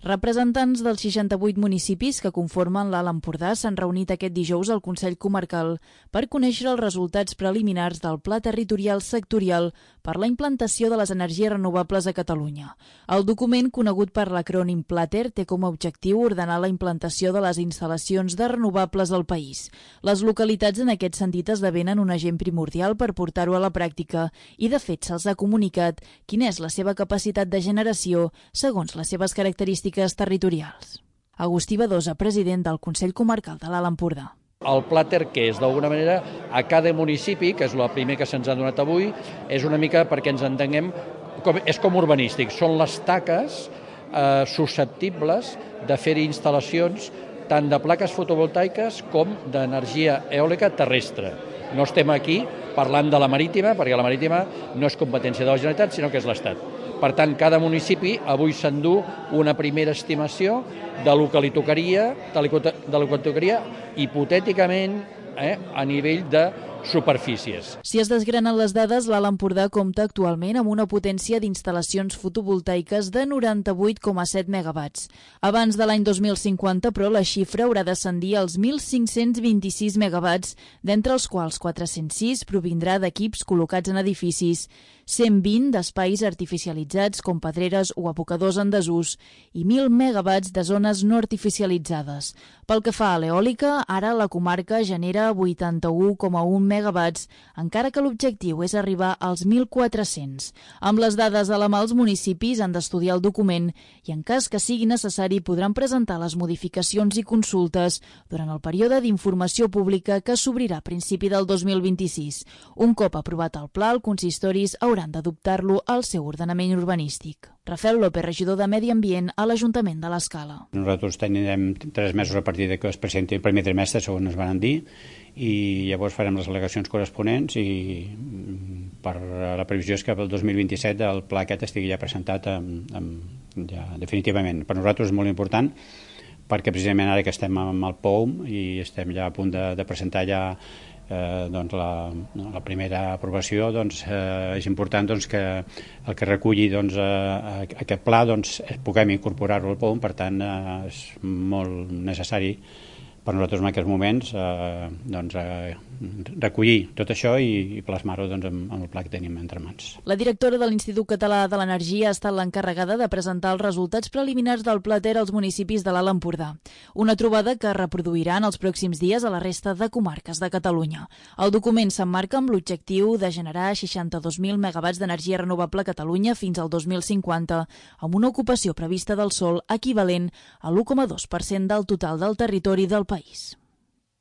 Representants dels 68 municipis que conformen l'Alt Empordà s'han reunit aquest dijous al Consell Comarcal per conèixer els resultats preliminars del Pla Territorial Sectorial per la implantació de les energies renovables a Catalunya. El document, conegut per l'acrònim PLATER, té com a objectiu ordenar la implantació de les instal·lacions de renovables al país. Les localitats en aquest sentit esdevenen un agent primordial per portar-ho a la pràctica i, de fet, se'ls ha comunicat quina és la seva capacitat de generació segons les seves característiques territorials. Agustí Badosa, president del Consell Comarcal de l'Alt Empordà. El PLATER, que és d'alguna manera a cada municipi, que és el primer que se'ns ha donat avui, és una mica perquè ens entenguem, és com urbanístic, són les taques susceptibles de fer instal·lacions tant de plaques fotovoltaiques com d'energia eòlica terrestre. No estem aquí parlant de la marítima, perquè la marítima no és competència de la Generalitat, sinó que és l'Estat. Per tant, cada municipi avui s'endú una primera estimació de lo que li tocaria, hipotèticament, a nivell de superfícies. Si es desgranen les dades, l'Alt Empordà compta actualment amb una potència d'instal·lacions fotovoltaiques de 98,7 megawatts. Abans de l'any 2050, però, la xifra haurà d'ascendir als 1.526 megawatts, d'entre els quals 406 provindrà d'equips col·locats en edificis, 120 d'espais artificialitzats com pedreres o abocadors en desús i 1.000 megawatts de zones no artificialitzades. Pel que fa a l'eòlica, ara la comarca genera 81,1 megawatts, encara que l'objectiu és arribar als 1.400. Amb les dades a la mà, els municipis han d'estudiar el document i, en cas que sigui necessari, podran presentar les modificacions i consultes durant el període d'informació pública que s'obrirà a principi del 2026. Un cop aprovat el pla, els consistoris hauran d'adoptar-lo al seu ordenament urbanístic. Rafael López, regidor de Medi Ambient a l'Ajuntament de l'Escala. Nosaltres tenim 3 mesos a partir que es presenti el primer trimestre, segons ens van dir, i llavors farem les al·legacions corresponents i per la previsió és que pel 2027 el pla aquest estigui ja presentat ja definitivament. Per nosaltres és molt important perquè precisament ara que estem amb el POUM i estem ja a punt de presentar ja la primera aprovació, és important que el que reculli aquest pla puguem incorporar-lo al POUM. Per tant, és molt necessari per nosaltres en aquests moments recollir tot això i plasmar-ho amb el pla que tenim entre mans. La directora de l'Institut Català de l'Energia ha estat l'encarregada de presentar els resultats preliminars del PLATER als municipis de l'Alt Empordà. Una trobada que reproduiran els pròxims dies a la resta de comarques de Catalunya. El document s'emmarca amb l'objectiu de generar 62.000 megawatts d'energia renovable a Catalunya fins al 2050, amb una ocupació prevista del sòl equivalent a l'1,2% del total del territori del país.